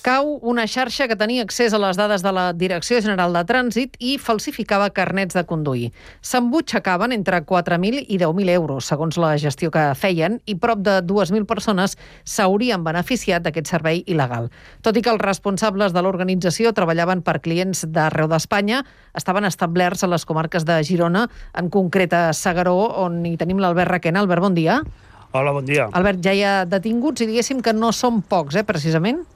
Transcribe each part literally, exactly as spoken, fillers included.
Cau una xarxa que tenia accés a les dades de la Direcció General de Trànsit i falsificava carnets de conduir. S'embutxacaven entre quatre mil i deu mil euros, segons la gestió que feien, i prop de dues mil persones s'haurien beneficiat d'aquest servei il·legal. Tot i que els responsables de l'organització treballaven per clients d'arreu d'Espanya, estaven establerts a les comarques de Girona, en concret a S'Agaró, on hi tenim l'Albert Requena. Albert, bon dia. Hola, bon dia. Albert, ja hi ha detinguts i diguéssim que no són pocs, eh, precisament?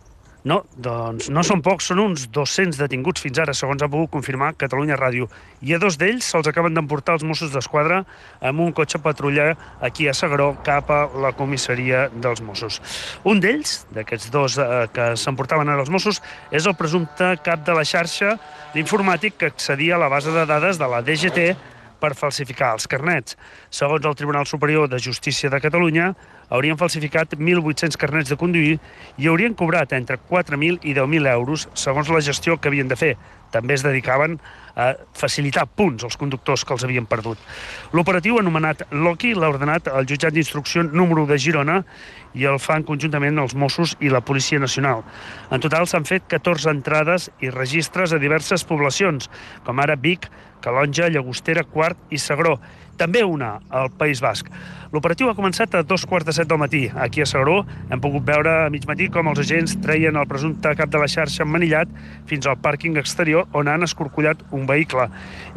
No, doncs no són pocs, són uns dos-cents detinguts fins ara, segons ha pogut confirmar Catalunya Ràdio. I a dos d'ells se'ls acaben d'emportar els Mossos d'Esquadra amb un cotxe patrulla aquí a S'Agaró cap a la comissaria dels Mossos. Un d'ells, d'aquests dos eh, que s'emportaven ara els Mossos, és el presumpte cap de la xarxa d'informàtic que accedia a la base de dades de la D G T per falsificar els carnets. Segons el Tribunal Superior de Justícia de Catalunya, haurien falsificat mil vuit-cents carnets de conduir i haurien cobrat entre quatre mil i deu mil euros, segons la gestió que havien de fer. També es dedicaven a facilitar punts als conductors que els havien perdut. L'operatiu, anomenat Loki, l'ha ordenat el jutjat d'instrucció número u de Girona i el fan conjuntament els Mossos i la Policia Nacional. En total s'han fet catorze entrades i registres a diverses poblacions, com ara Vic, Calonja, Llagostera, Quart i S'Agaró. També una al País Basc. L'operatiu ha començat a dos quarts de set del matí. Aquí a S'Agaró hem pogut veure a mig matí com els agents treien el presumpte cap de la xarxa emmanillat fins al pàrquing exterior on han escorcollat un vehicle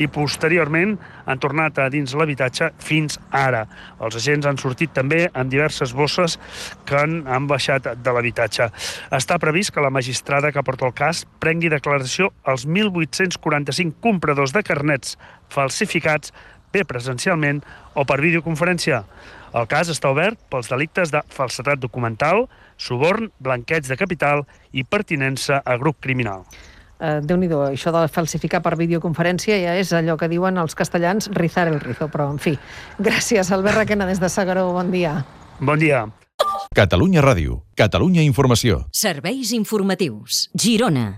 i posteriorment han tornat a dins l'habitatge fins ara. Els agents han sortit també amb diverses bosses que han, han baixat de l'habitatge. Està previst que la magistrada que porta el cas prengui declaració als mil vuit-cents quaranta-cinc compradors de carnets falsificats bé presencialment o per videoconferència. El cas està obert pels delictes de falsedat documental, suborn, blanqueig de capital i pertinença a grup criminal. Uh, Déu-n'hi-do, això de falsificar per videoconferència ja és allò que diuen els castellans rizar el rizo, però en fi. Gràcies, Albert Requena, des de S'Agaró. Bon dia. Bon dia. Catalunya Ràdio, Catalunya Informació. Serveis informatius. Girona.